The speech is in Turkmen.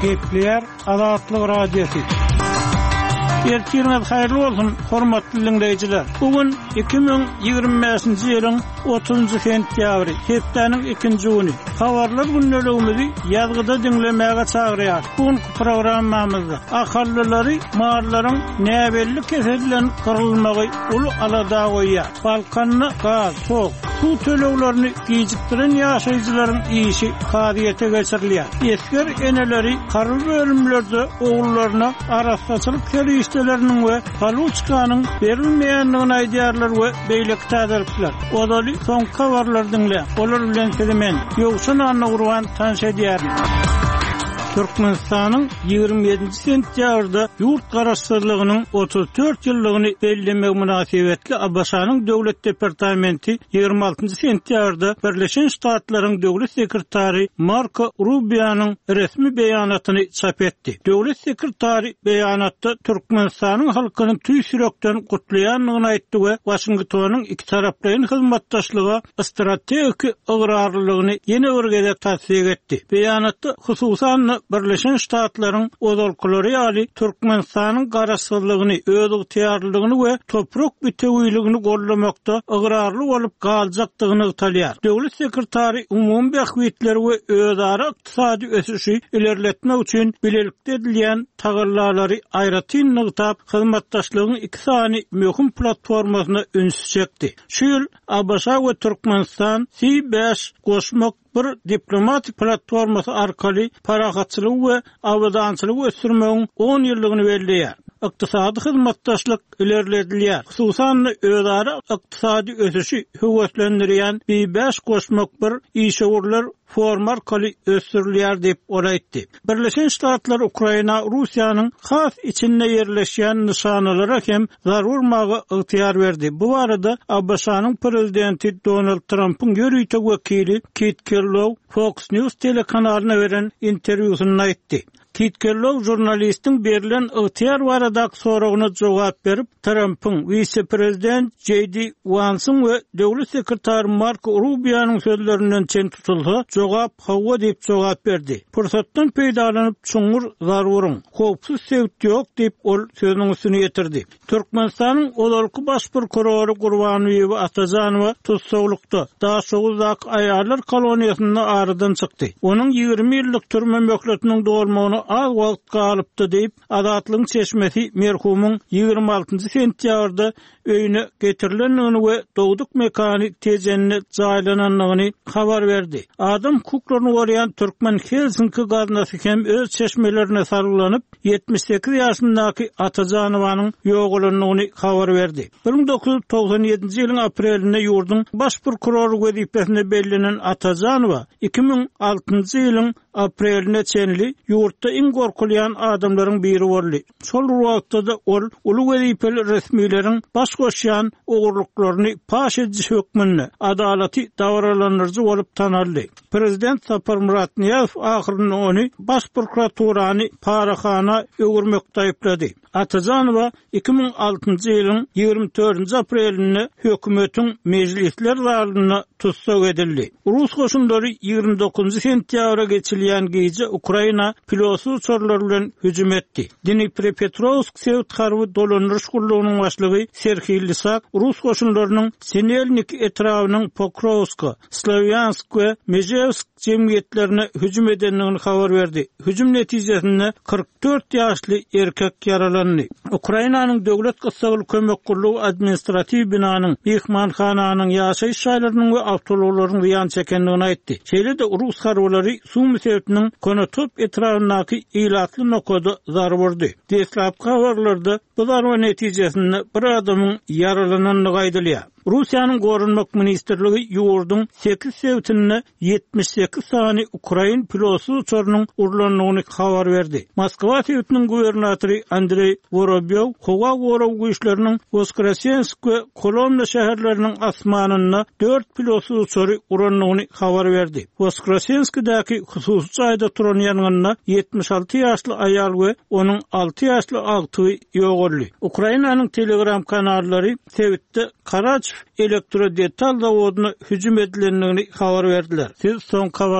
Gepleýär Azatlyk Radiosy. Ertiriňiz haýyrly bolsun, hormatly diňleýjiler! Bu gün 2025-nji ýylyň 30-njy sentýabry, hepdäniň ikinji güni. Habarlar gündeligimizi ýazgyda diňlemäge çagyrýarys. Bu günki programmamyzda ahallylary mallaryň näbelli kesel bilen gyrylmagy uly alada goýýar. Balkanda gaz, tok, suw töleglerini gijikdiren ýaşaýjylaryň işi kazyýete geçirilýär. Esger eneleri harby bölümlerde ogullaryna arassaçylyk serişdeleriniň we paluçkanyň berilmeýändigini aýdýarlar we beýleki täzelikler. Ozaly soňky habarlary diňläň. Olar bilen sizi men, Ýowşan Annagurban tanyş edýärin. Türkmenistanyň 27-nji sentýabrda ýurt Garaşsyzlygynyň 34 ýyllygyny bellemegi mynasybetli ABŞ-nyň Döwlet departamenti 26-njy sentýabrda Birleşen Ştatlaryň Döwlet sekretary Marko Rubionyň resmi beýanatyny çap etdi. Döwlet sekretary beýanatda Türkmenistanyň halkyny tüýs ýürekden gutlaýandygyny aýtdy we Waşingtonyň ikitaraplaýyn hyzmatdaşlyga strategik ygrarlylygyny ýene bir gezek tassyk etdi. Beýanatda, hususan-da, Birleşen Ştatlaryň ozalkylary ýaly Türkmenistanyň garaşsyzlygyny, özygtyýarlylygyny we toprak bitewiligini goldamakda ygrarly bolup galjakdygy nygtalýar. Döwlet sekretary umumy bähbitleri we özara ykdysady ösüşi ilerletmek üçin bilelikde edilýän tagallalary aýratyn nygtap, hyzmatdaşlygyň iki sany möhüm platformasyna ünsi çekdi. Şu ýyl ABŞ we Türkmenistan C bäş goşmak bir diplomatik platformasy arkaly parahatçylygy we abadançylygy ösdürmegiň on ýyllygyny belleýär. Ykdysady hyzmatdaşlyk ilerledilýär, hususan-da, özara ykdysady ösüşi höweslendirýän B bäş goşmak bir işewürler forumy arkaly ösdürilýär diýip, ol aýtdy. Birleşen Ştatlar Ukraina Russiýanyň has içinde ýerleşýän nyşanalara hem zarba urmaga ygtyýar berdi. Bu barada ABŞ-nyň prezidenti Donald Trampyň ýörite wekili Kit Kellogg Fox News telekanalyna beren interwýusynda aýtdy. Kit Kellogg žurnalistiň berlen ygtyýar baradaky soragyna jogap berip, Trampyň, wise-prezident Jeý Di Wansyň we döwlet sekretary Marko Rubionyň sözlerinden çen tutulsa, jogap hawa diýip jogap berdi. Pursatdan peýdalanyp, çuňňur zarba uruň. Howpsuz sebit ýok diýip, ol sözüniň üstüni ýetirdi. Türkmenistanyň ozalky baş prokurory Gurbanbibi Atajanowa tussaglykda, Daşoguzdaky aýallar koloniýasynda aradan çykdy. Onuň 20 ýyllyk türme möhletiniň dolmagyna az wagt galypdy diýip, Azatlygyň çeşmesi merhumyň 26 sentýabrda öýüne getirilendigini we dogduk mekany Tejende jaýlanandygyny habar berdi. Adam hukuklaryny goraýan Türkmen Helsinki gaznasy hem öz çeşmelerine salgylanyp, 78 ýaşyndaky Atajanowanyň ýogalandygyny habar berdi. 1997-nji ýylyň aprelinde ýurduň Baş prokurory wezipesine bellenen Atajanowa 2006-njy ýylyň apreline çenli ýurtda iň gorkulýan adamlaryň biri boldy. Şol bir wagtda-da ol uly wezipeli resmileriň baş goşýan ogurlyklaryny paş ediji hökmünde adalaty dabaralandyryjy bolup tanaldy. Prezident Saparmyrat Nyýazow ahyrynda ony Baş prokuraturany parahana öwürmekde aýyplady. Atajanowa 2006-njy ýylyň 24-nji aprelinde hökümetiň mejlisler zalynda tussag edildi. Rus goşunlary 29-njy sentýabra geçilýän gije Ukraina pilotsyz uçarlar bilen hüjüm etdi. Dniprepetrowsk sebit harby dolandyryş gullugynyň başlygy Serhiý Lysak rus goşunlarynyň Sinelnik etrabynyň Pokrowska, Slowýansk we Mežewsk jemgyýetlerine hüjüm edendigini habar berdi. Hüjüm netijesinde 44 ýaşly erkek ýaralandy. Ukrainanyň Döwlet gyssagly kömek gullugy administratiw binanyň, myhmanhananyň, ýaşaýyş jaýlarynyň we awtoulaglaryň zyýan çekendigini aýtdy. Şeýle-de rus harbylary Sumy sebitiniň Konotop etrabyndaky ilatly nokada zarba urdy. Deslapky habarlarda bu zarba netijesinde bir adamyň ýaralanandygy aýdylýar. Russiýanyň Goranmak ministrligi ýurduň sekiz sebitinde 78 sany ukrain pilotsyz uçarynyň urlandygyny habar berdi. Moskwa sebitiniň gubernatory Andreý Worobýow howa gorag güýçleriniň Woskresensk we Kolomna şäherleriniň asmanynda dört pilotsyz uçary urandygyny habar berdi. Woskresenskidäki hususy jaýda turan ýangynda 76 ýaşly aýal we onuň alty ýaşly agtygy ýogaldy. Ukrainanyň Telegram kanallary sebitde Karaçew elektrodetal zawodyna hüjüm edilendigini habar berdiler. Siz soňky habarlar.